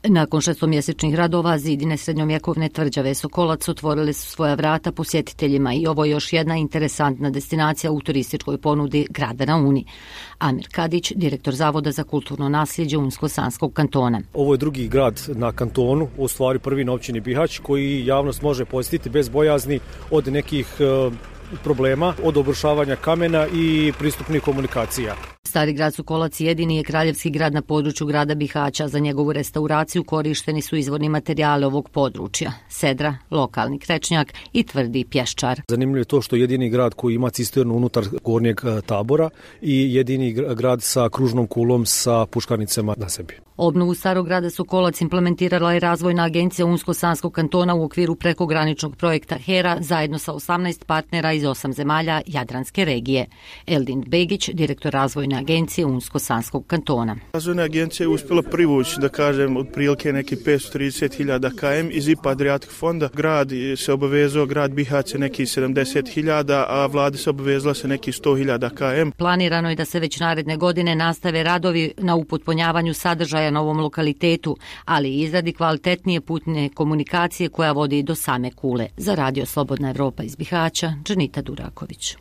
Nakon šestomjesečnih radova, zidine srednjovjekovne tvrđave Sokolac otvorile su svoja vrata posjetiteljima i ovo je još jedna interesantna destinacija u turističkoj ponudi grada na Uni. Amir Kadić, direktor Zavoda za kulturno nasljeđe Unsko-Sanskog kantona. Ovo je drugi grad na kantonu, u stvari prvi na općini Bihać, koji javnost može posjetiti bez bojazni od nekih problema, od obrušavanja kamena i pristupnih komunikacija. Stari grad Sokolac jedini je kraljevski grad na području grada Bihaća. Za njegovu restauraciju korišteni su izvorni materijali ovog područja: sedra, lokalni krečnjak i tvrdi pješčar. Zanimljivo je to što je jedini grad koji ima cisternu unutar gornjeg tabora i jedini grad sa kružnom kulom sa puškarnicama na sebi. Obnovu starog grada Sokolac implementirala je Razvojna agencija Unsko-Sanskog kantona u okviru prekograničnog projekta HERA zajedno sa 18 partnera iz 8 zemalja Jadranske regije. Eldin Begić, direktor Razvojne agencije Unsko-Sanskog kantona. Razvojna agencija je uspjela privući, da kažem, otprilike neki 530.000 km iz IPA Adriatic fonda. Grad se obavezao, grad Bihać neki 70.000, a vlada se obavezala se neki 100.000 km. Planirano je da se već naredne godine nastave radovi na upotpunjavanju sadržaja na ovom lokalitetu, ali i izradi kvalitetnije putne komunikacije koja vodi do same Kule. Za Radio Slobodna Evropa iz Bihaća, Dženita Duraković.